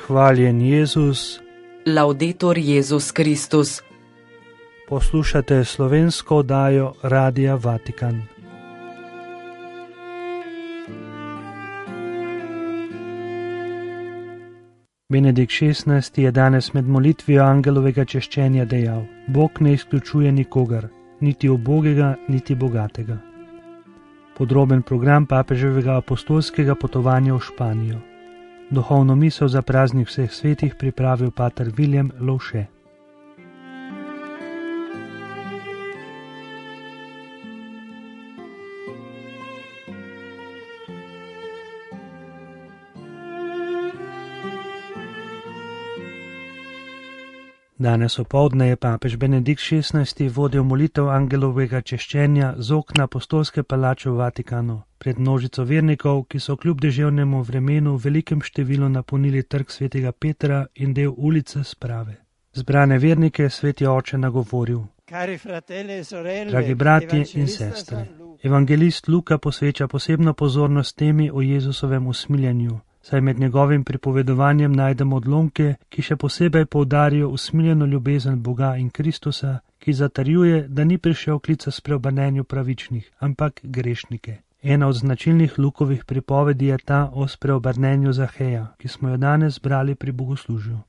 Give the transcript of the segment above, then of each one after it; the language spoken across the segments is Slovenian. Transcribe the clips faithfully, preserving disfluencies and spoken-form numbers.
Hvaljen Jezus. Laudetur Jezus Kristus. Poslušate slovensko oddajo Radia Vatikan. Benedikt šestnajsti je danes med molitvijo angelovega češčenja dejal: Bog ne izključuje nikogar, niti ubogega, niti bogatega. Podroben program papeževega apostolskega potovanja v Španijo. Duhovno misel za praznik vseh svetih pripravil pater Viljem Lovše. Danes opoldne je papež Benedikt šestnajsti vodil molitev angelovega češčenja z okna apostolske palače v Vatikanu pred množico vernikov, ki so kljub deževnemu vremenu v velikem številu napolnili trg svetega Petra in del ulice Sprave. Zbrane vernike je sveti oče nagovoril: Dragi bratje in sestre, evangelist Luka posveča posebno pozornost temi o Jezusovem usmiljenju, saj med njegovim pripovedovanjem najdemo odlomke, ki še posebej poudarijo usmiljeno ljubezen Boga in Kristusa, ki zatrjuje, da ni prišel klica spreobrnenju pravičnih, ampak grešnike. Ena od značilnih Lukovih pripovedi je ta o spreobrnenju Zaheja, ki smo jo danes brali pri bogoslužju.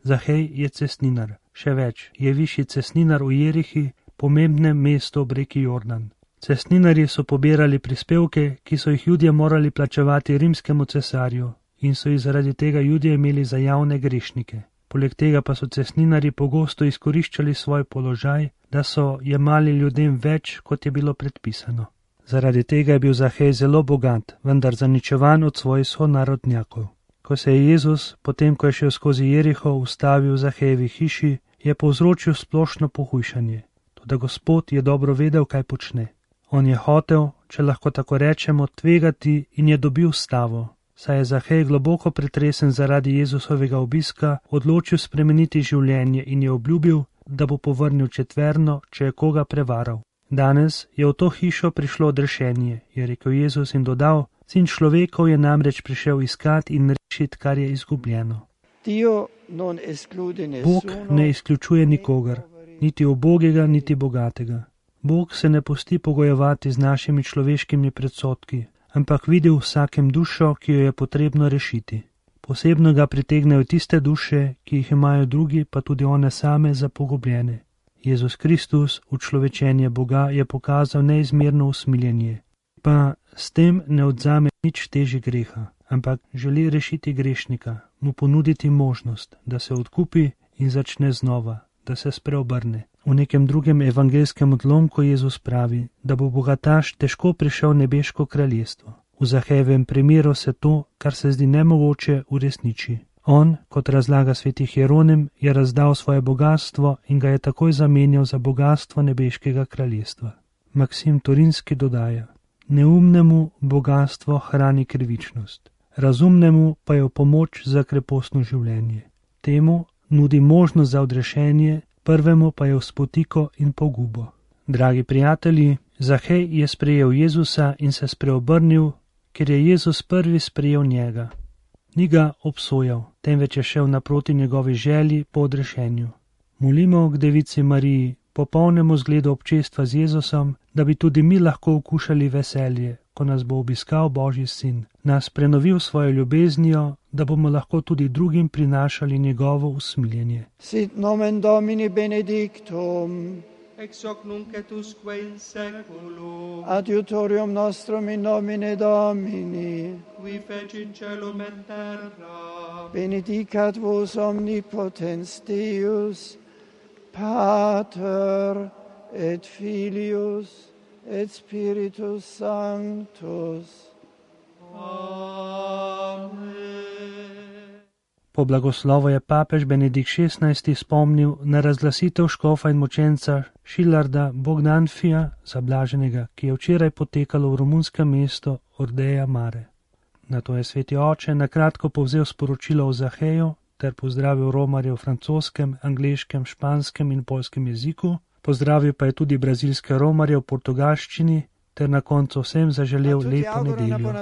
Zahej je cestninar, še več, je višji cestninar v Jerihi, pomembnem mestu ob reki Jordan. Cestninarji so pobirali prispevke, ki so jih Judje morali plačevati rimskemu cesarju, in so jih zaradi tega Judje imeli za javne grešnike. Poleg tega pa so cestninarji pogosto izkoriščali svoj položaj, da so jemali ljudem več, kot je bilo predpisano. Zaradi tega je bil Zahej zelo bogat, vendar zaničevan od svojih sonarodnjakov. Ko se je Jezus, potem ko je šel skozi Jeriho, ustavil v Zahejevi hiši, je povzročil splošno pohujšanje. Toda Gospod je dobro vedel, kaj počne. On je hotel, če lahko tako rečemo, tvegati in je dobil stavo. Saj je Zahej globoko pretresen zaradi Jezusovega obiska odločil spremeniti življenje in je obljubil, da bo povrnil četverno, če je koga prevaral. Danes je v to hišo prišlo odrešenje, je rekel Jezus in dodal: Sin človekov je namreč prišel iskati in rešiti, kar je izgubljeno. Bog ne izključuje nikogar, niti ubogega, niti bogatega. Bog se ne pusti pogojevati z našimi človeškimi predsodki, ampak vidi v vsakem dušo, ki jo je potrebno rešiti. Posebno ga pritegnejo tiste duše, ki jih imajo drugi, pa tudi one same za pogubljene. Jezus Kristus, učlovečenje Boga, je pokazal neizmerno usmiljenje, pa s tem ne odzame nič teži greha, ampak želi rešiti grešnika, mu ponuditi možnost, da se odkupi in začne znova, da se spreobrne. V nekem drugem evangelskem odlomku Jezus pravi, da bo bogataš težko prišel v nebeško kraljestvo. V Zahejevem primeru se to, kar se zdi nemogoče, uresniči. On, kot razlaga sveti Hieronim, je razdal svoje bogatstvo in ga je takoj zamenjal za bogatstvo nebeškega kraljestva. Maksim Turinski dodaja: Neumnemu bogatstvo hrani krivičnost, razumnemu pa je v pomoč za krepostno življenje. Temu nudi možnost za odrešenje, prvemu pa je v spotiko in pogubo. Dragi prijatelji, Zahej je sprejel Jezusa in se spreobrnil, ker je Jezus prvi sprejel njega. Ni ga obsojal, temveč je šel naproti njegovi želji po odrešenju. Molimo k Devici Mariji, popolnemu zgledu občestva z Jezusom, da bi tudi mi lahko okušali veselje, ko nas bo obiskal Božji sin, nas prenovil svojo ljubeznijo, da bomo lahko tudi drugim prinašali njegovo usmiljenje. Sit nomen Domini benedictum, ex hoc nunc et usque in seculum, adiutorium nostrum in nomine Domini, qui fecit caelum et terra, benedicat vos omnipotens Deus, Pater et Filius et Spiritus Sanctus. Amen. Po blagoslovu je papež Benedikt šestnajsti spomnil na razglasitev škofa in mučenca Šilarda Bogdanfija Zablaženega, ki je včeraj potekalo v romunskem mestu Ordeja Mare. Nato je sveti oče nakratko povzel sporočilo o Zaheju ter pozdravil romarje v francoskem, angleškem, španskem in poljskem jeziku, pozdravil pa je tudi brazilske romarje v portugalščini ter na koncu vsem zaželel lepo nedeljo.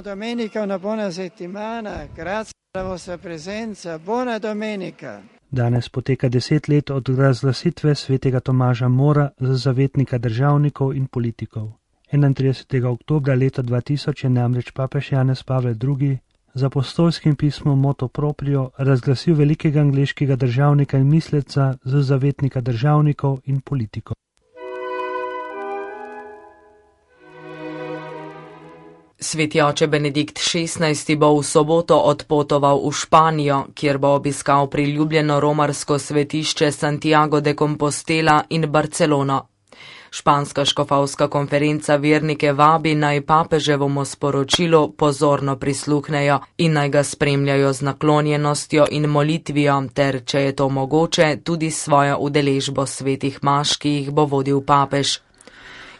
Danes poteka deset let od razglasitve svetega Tomaža Mora za zavetnika državnikov in politikov. enaintridesetega oktobra leta dva tisoč je namreč papež Janez Pavel drugi z apostolskim pismom Motu Proprio razglasil velikega angleškega državnika in misleca za zavetnika državnikov in politikov. Sveti oče Benedikt šestnajsti bo v soboto odpotoval v Španijo, kjer bo obiskal priljubljeno romarsko svetišče Santiago de Compostela in Barcelono. Španska škofovska konferenca vernike vabi, naj papeževomu sporočilu pozorno prisluhnejo in naj ga spremljajo z naklonjenostjo in molitvijo ter, če je to mogoče, tudi svojo udeležbo svetih maš, ki jih bo vodil papež.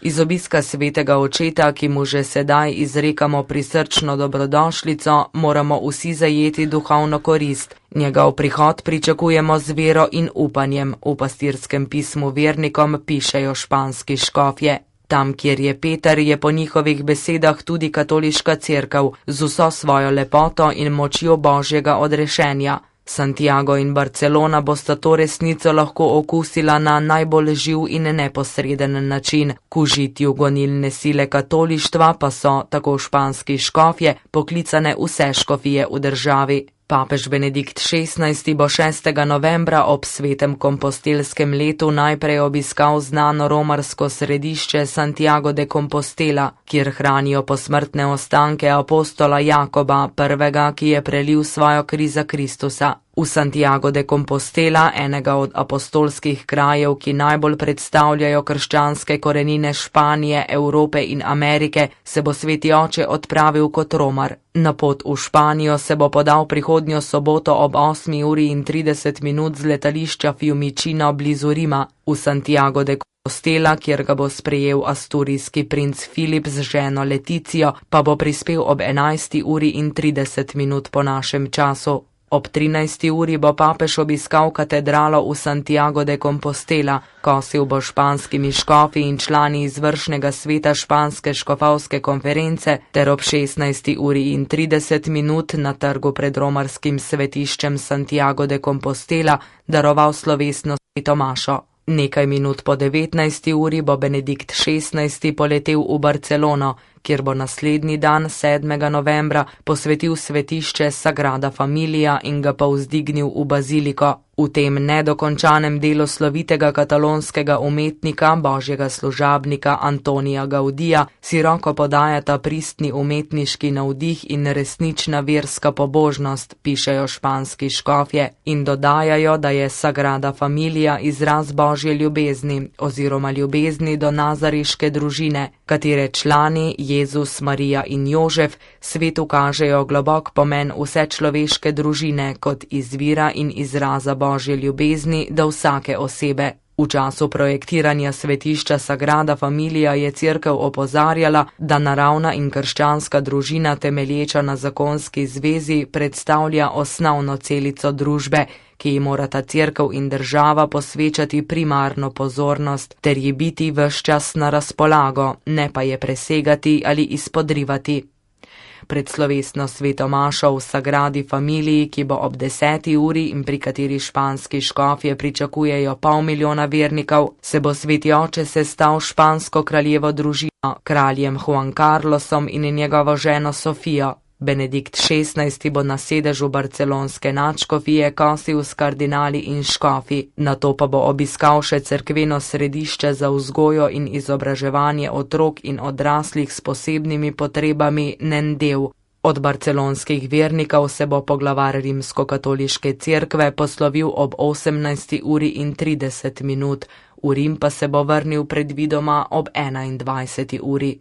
Iz obiska svetega očeta, ki mu že sedaj izrekamo prisrčno dobrodošlico, moramo vsi zajeti duhovno korist. Njegov prihod pričakujemo z vero in upanjem, v pastirskem pismu vernikom pišejo španski škofje. Tam, kjer je Peter, je po njihovih besedah tudi katoliška cerkev z vso svojo lepoto in močjo božjega odrešenja. Santiago in Barcelona bosta to resnico lahko okusila na najbolj živ in neposreden način. K užitju gonilne sile katolištva pa so, tako španski škofje, poklicane vse škofije v državi. Papež Benedikt šestnajsti bo šestega novembra ob svetem kompostelskem letu najprej obiskal znano romarsko središče Santiago de Compostela, kjer hranijo posmrtne ostanke apostola Jakoba, prvega, ki je prelil svojo kri za Kristusa. V Santiago de Compostela, enega od apostolskih krajev, ki najbolj predstavljajo krščanske korenine Španije, Evrope in Amerike, se bo sveti oče odpravil kot romar. Na pot v Španijo se bo podal prihodnjo soboto ob osmi uri in trideset minut z letališča Fiumicino blizu Rima. V Santiago de Compostela, kjer ga bo sprejel asturijski princ Filip z ženo Leticijo, pa bo prispel ob enajsti uri in trideset minut po našem času. Ob trinajsti uri bo papež obiskal katedralo v Santiago de Compostela, kosil bo španskimi škofi in člani izvršnega sveta španske škofovske konference ter ob šestnajsti uri in trideset minut na trgu pred romarskim svetiščem Santiago de Compostela daroval slovesno sveto mašo. Nekaj minut po devetnajsti uri bo Benedikt šestnajsti poletel v Barcelono, kjer bo naslednji dan, sedmega novembra, posvetil svetišče Sagrada Familia in ga povzdignil v baziliko. V tem nedokončanem delu slovitega katalonskega umetnika, božjega služabnika Antonija Gaudija, si roko podajata pristni umetniški navdih in resnična verska pobožnost, pišejo španski škofje, in dodajajo, da je Sagrada Familia izraz božje ljubezni oziroma ljubezni do nazariške družine, katere člani Jezus, Marija in Jožef svetu kažejo globok pomen vse človeške družine kot izvira in izraza božje ljubezni do vsake osebe. V času projektiranja svetišča Sagrada Familia je cerkev opozarjala, da naravna in krščanska družina temelječa na zakonski zvezi predstavlja osnovno celico družbe, ki ji morata cerkev in država posvečati primarno pozornost ter ji biti ves čas na razpolago, ne pa je presegati ali izpodrivati. Pred slovesno sveto mašo v Sagradi Familiji, ki bo ob deseti uri in pri kateri španski škofje pričakujejo pol milijona vernikov, se bo sveti oče sestal špansko kraljevo družino, kraljem Juan Carlosom in njegovo ženo Sofijo. Benedikt šestnajsti bo na sedežu barcelonske nadškofije kosil s kardinali in škofi, nato pa bo obiskal še cerkveno središče za vzgojo in izobraževanje otrok in odraslih s posebnimi potrebami Nendel. Od barcelonskih vernikov se bo poglavar rimskokatoliške cerkve poslovil ob osemnajsti uri in trideset minut, v Rim pa se bo vrnil predvidoma ob enaindvajseti uri.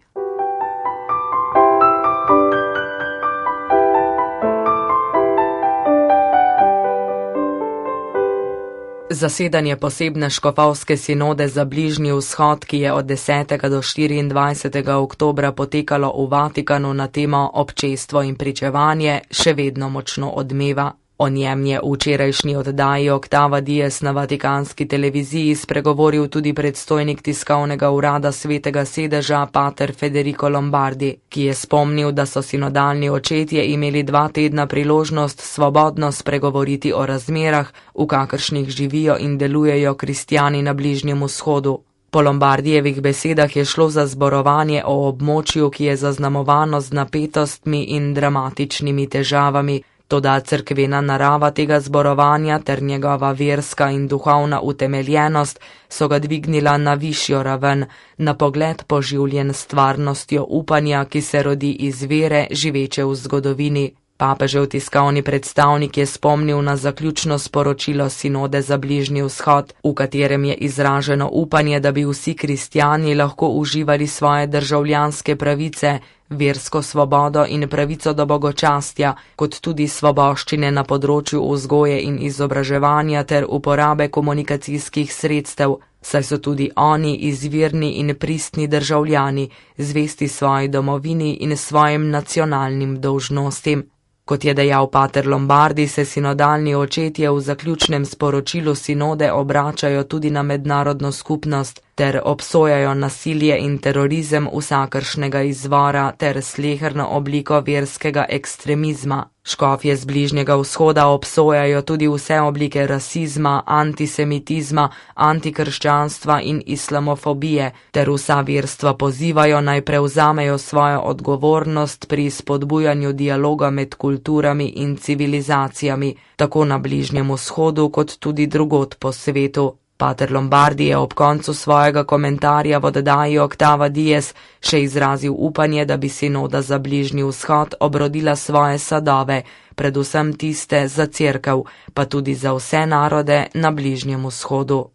Zasedanje posebne škofovske sinode za Bližnji vzhod, ki je od desetega do štiriindvajsetega oktobra potekalo v Vatikanu na temo občestvo in pričevanje, še vedno močno odmeva. O njem je v včerajšnji oddaji Octava Dies na vatikanski televiziji spregovoril tudi predstojnik tiskovnega urada Svetega sedeža pater Federico Lombardi, ki je spomnil, da so sinodalni očetje imeli dva tedna priložnost svobodno spregovoriti o razmerah, v kakršnih živijo in delujejo kristjani na Bližnjem vzhodu. Po Lombardijevih besedah je šlo za zborovanje o območju, ki je zaznamovano z napetostmi in dramatičnimi težavami. Toda cerkvena narava tega zborovanja ter njegova verska in duhovna utemeljenost so ga dvignila na višjo raven, na pogled poživljen s stvarnostjo upanja, ki se rodi iz vere, živeče v zgodovini. Papežev tiskovni predstavnik je spomnil na zaključno sporočilo sinode za Bližnji vzhod, v katerem je izraženo upanje, da bi vsi kristjani lahko uživali svoje državljanske pravice, versko svobodo in pravico do bogočastja, kot tudi svoboščine na področju vzgoje in izobraževanja ter uporabe komunikacijskih sredstev, saj so tudi oni izvirni in pristni državljani, zvesti svoji domovini in svojim nacionalnim dolžnostim. Kot je dejal pater Lombardi, se sinodalni očetje v zaključnem sporočilu sinode obračajo tudi na mednarodno skupnost ter obsojajo nasilje in terorizem vsakršnega izvora ter sleherno obliko verskega ekstremizma. Škofje z Bližnjega vzhoda obsojajo tudi vse oblike rasizma, antisemitizma, antikrščanstva in islamofobije, ter vsa verstva pozivajo naj prevzamejo svojo odgovornost pri spodbujanju dialoga med kulturami in civilizacijami, tako na Bližnjem vzhodu kot tudi drugod po svetu. Pater Lombardi je ob koncu svojega komentarja v oddaji Octava Dies še izrazil upanje, da bi sinoda za Bližnji vzhod obrodila svoje sadove, predvsem tiste za cerkev, pa tudi za vse narode na Bližnjem vzhodu.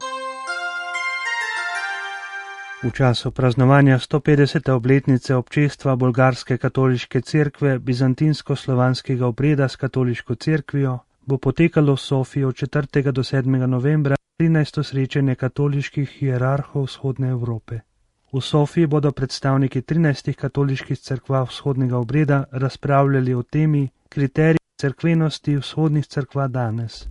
V času praznovanja sto petdesete obletnice občestva bolgarske katoliške cerkve bizantinsko-slovanskega obreda s katoliško cerkvijo bo potekalo v Sofiji od četrtega do sedmega novembra trinajsto srečanje katoliških hierarhov vzhodne Evrope. V Sofiji bodo predstavniki trinajstih katoliških cerkva vzhodnega obreda razpravljali o temi kriteriji cerkvenosti vzhodnih cerkva danes.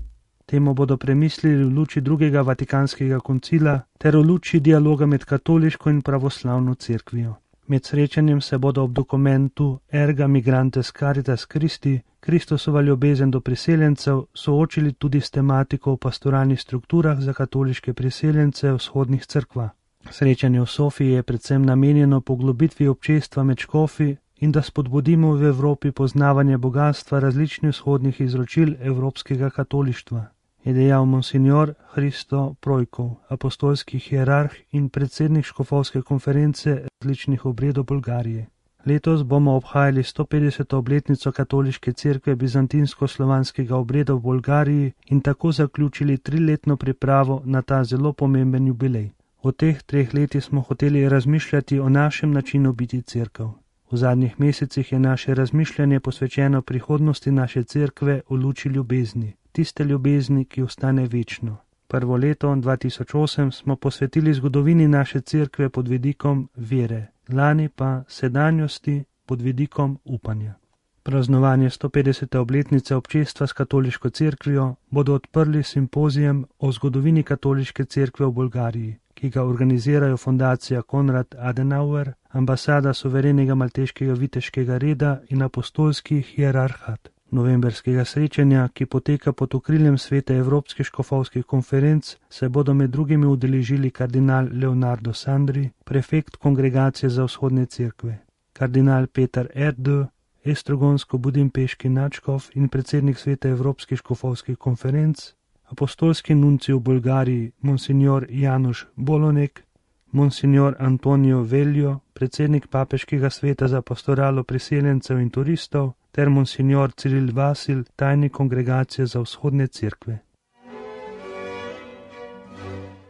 Temu bodo premislili v luči drugega vatikanskega koncila ter v luči dialoga med katoliško in pravoslavno cerkvijo. Med srečanjem se bodo ob dokumentu Erga Migrantes Caritas Christi, Kristusova ljubezen do priseljencev, soočili tudi s tematiko o pastoralnih strukturah za katoliške priseljence vzhodnih cerkva. Srečanje v Sofiji je predvsem namenjeno poglobitvi občestva med škofi in da spodbudimo v Evropi poznavanje bogatstva različnih vzhodnih izročil evropskega katolištva, je dejal monsignor Hristo Projkov, apostolski hierarh in predsednik škofovske konference različnih obredov Bolgarije. Letos bomo obhajali sto petdeseto obletnico katoliške cerkve bizantinsko-slovanskega obreda v Bolgariji in tako zaključili triletno pripravo na ta zelo pomemben jubilej. V teh treh letih smo hoteli razmišljati o našem načinu biti cerkev. V zadnjih mesecih je naše razmišljanje posvečeno prihodnosti naše cerkve v luči ljubezni, tiste ljubezni, ki ostane večno. Prvo leto dva tisoč osem smo posvetili zgodovini naše cerkve pod vidikom vere, lani pa sedanjosti pod vidikom upanja. Praznovanje sto petdesete obletnice občestva s katoliško cerkvijo bodo odprli simpozijem o zgodovini katoliške cerkve v Bolgariji, ki ga organizirajo fundacija Konrad Adenauer, ambasada suverenega malteškega viteškega reda in apostolski hierarhat. Novemberskega srečanja, ki poteka pod okriljem Svete Evropskih škofovskih konferenc, se bodo med drugimi udeležili kardinal Leonardo Sandri, prefekt Kongregacije za vzhodne cerkve, kardinal Petar Erdő, estrogonsko-budimpeški nadškof in predsednik Svete Evropskih škofovskih konferenc, apostolski nunci v Bolgariji monsignor Januš Bolonek, monsignor Antonio Veljo, predsednik papeškega sveta za pastoralo priseljencev in turistov, ter monsignor Ciril Vasil, tajnik Kongregacije za vzhodne cerkve.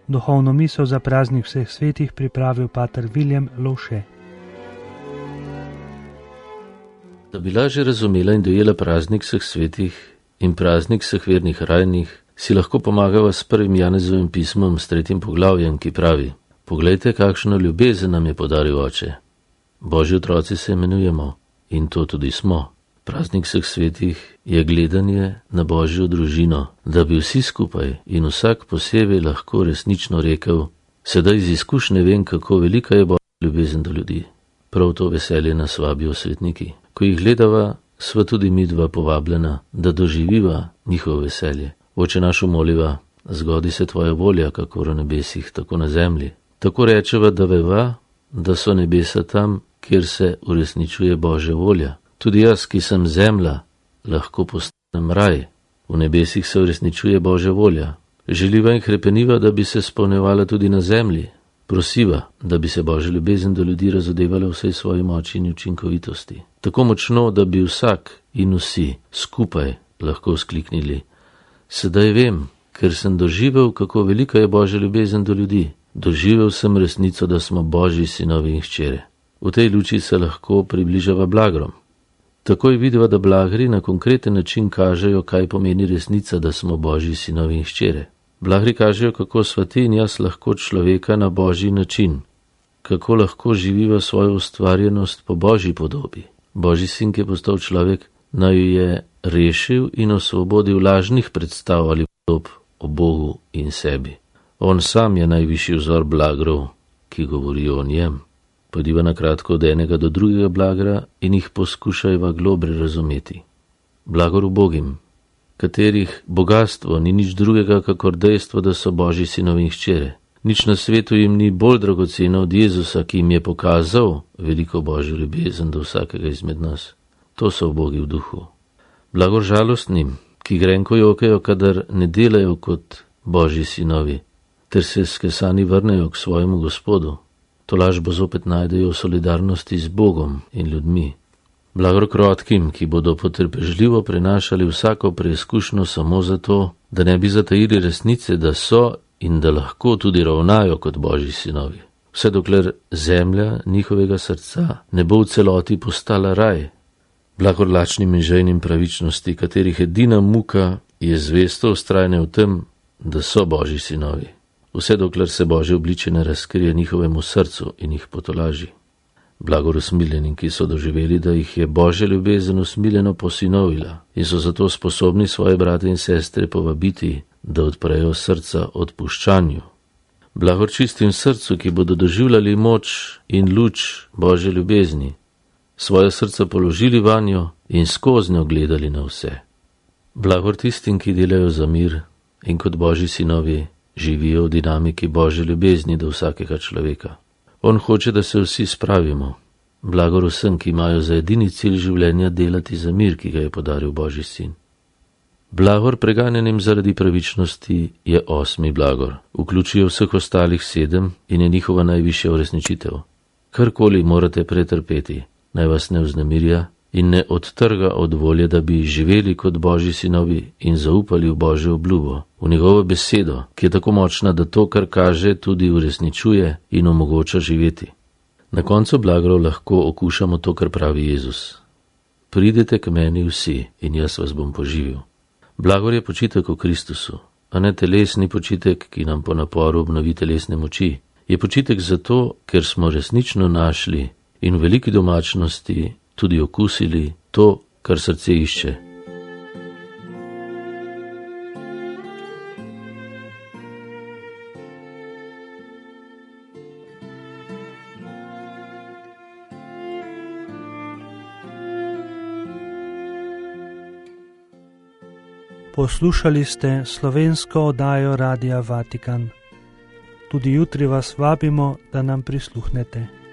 Duhovno misel za praznik vseh svetih pripravil pater William Lovše. Da bi lažje razumela in dojela praznik vseh svetih in praznik vseh vernih rajnih, si lahko pomagava s prvim Janezovim pismom s tretjim poglavjem, ki pravi: Poglejte, kakšno ljubezen nam je podaril Oče. Božji otroci se imenujemo in to tudi smo. Praznik vseh svetih je gledanje na Božjo družino, da bi vsi skupaj in vsak posebej lahko resnično rekel: sedaj iz izkušnje vem, kako velika je Božja ljubezen do ljudi. Prav to veselje nas vabijo svetniki. Ko jih gledava, sva tudi midva povabljena, da doživiva njihovo veselje. Oče naš, moliva, zgodi se tvoja volja, kakor v nebesih, tako na zemlji. Tako rečeva, da veva, da so nebesa tam, kjer se uresničuje Božja volja. Tudi jaz, ki sem zemlja, lahko postanem raj. V nebesih se uresničuje Božja volja. Želiva in hrepeniva, da bi se spolnevala tudi na zemlji. Prosiva, da bi se Božja ljubezen do ljudi razodevala vsej svoji moči in učinkovitosti. Tako močno, da bi vsak in vsi skupaj lahko skliknili: sedaj vem, ker sem doživel, kako velika je Božja ljubezen do ljudi. Doživel sem resnico, da smo Božji sinovi in hčere. V tej luči se lahko približava blagrom. Takoj vidiva, da blagri na konkreten način kažejo, kaj pomeni resnica, da smo Božji sinovi in hčere. Blagri kažejo, kako sva ti in jaz lahko človeka na Božji način, kako lahko živiva svojo ustvarjenost po Božji podobi. Božji sin, ki je postal človek, naj jo je rešil in osvobodil lažnih predstav ali podob o Bogu in sebi. On sam je najvišji vzor blagrov, ki govorijo o njem. Pojdiva na kratko od enega do drugega blagra in jih poskušajva globre razumeti. Blagor ubogim, katerih bogatstvo ni nič drugega, kakor dejstvo, da so Božji sinovi in hčere. Nič na svetu jim ni bolj dragoceno od Jezusa, ki jim je pokazal veliko Božjo ljubezen do vsakega izmed nas. To so ubogi v duhu. Blagor žalostnim, ki grenko jokajo, kadar ne delajo kot Božji sinovi, ter se skesani vrnejo k svojemu Gospodu. To lažbo zopet najdejo v solidarnosti z Bogom in ljudmi. Blagor krotkim, ki bodo potrpežljivo prenašali vsako preizkušnjo samo zato, da ne bi zatajili resnice, da so in da lahko tudi ravnajo kot Božji sinovi. Vse dokler zemlja njihovega srca ne bo v celoti postala raj. Blagor lačnim in žejnim pravičnosti, katerih edina muka je zvesto vztrajanje v tem, da so Božji sinovi. Vse dokler se Božje obličje ne razkrije njihovemu srcu in jih potolaži. Blagor usmiljenim, ki so doživeli, da jih je Božja ljubezen usmiljeno posinovila in so zato sposobni svoje brate in sestre povabiti, da odprejo srca odpuščanju. Blagor čistim srcu, ki bodo doživljali moč in luč Božje ljubezni, svoje srca položili vanjo in skoznjo gledali na vse. Blagor tistim, ki delajo za mir in kot Božji sinovi živijo v dinamiki Božje ljubezni do vsakega človeka. On hoče, da se vsi spravimo. Blagor vsem, ki imajo za edini cilj življenja delati za mir, ki ga je podaril Božji sin. Blagor preganjenim zaradi pravičnosti je osmi blagor. Vključijo vseh ostalih sedem in je njihova najvišja uresničitev. Karkoli morate pretrpeti, naj vas ne vznemirja in ne odtrga od volje, da bi živeli kot Božji sinovi in zaupali v Božjo obljubo, v njegovo besedo, ki je tako močna, da to, kar kaže, tudi uresničuje in omogoča živeti. Na koncu blagrov lahko okušamo to, kar pravi Jezus. Pridite k meni vsi in jaz vas bom poživil. Blagor je počitek v Kristusu, a ne telesni počitek, ki nam po naporu obnovi telesne moči. Je počitek zato, ker smo resnično našli in v veliki domačnosti tudi okusili to, kar srce išče. Poslušali ste slovensko oddajo Radia Vatikan. Tudi jutri vas vabimo, da nam prisluhnete.